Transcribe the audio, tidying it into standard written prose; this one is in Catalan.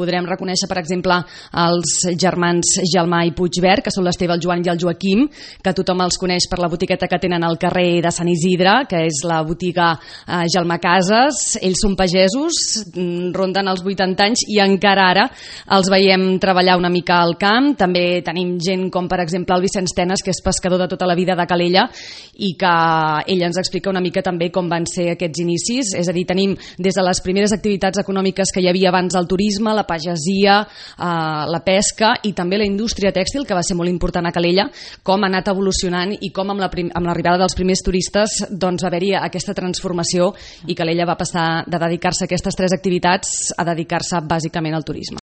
Podrem reconèixer, per exemple, els germans Gelmà i Puigvert, que són l'Esteve, el Joan i el Joaquim, que tothom els coneix per la botiqueta que tenen al carrer de Sant Isidre, que és la botiga Gelmà Cases. Ells són pagesos, ronden els 80 anys i encara ara els veiem treballar una mica al camp. També tenim gent com, per exemple, el Vicenç Tenes, que és pescador de tota la vida de Calella, i que ell ens explica una mica també com van ser aquests inicis. És a dir, tenim des de les primeres activitats econòmiques que hi havia abans del turisme, la pagesia, la pesca i també la indústria tèxtil, que va ser molt important a Calella, com ha anat evolucionant i com amb l'arribada dels primers turistes doncs, va haver-hi aquesta transformació i Calella va passar de dedicar-se a aquestes tres activitats a dedicar-se bàsicament al turisme.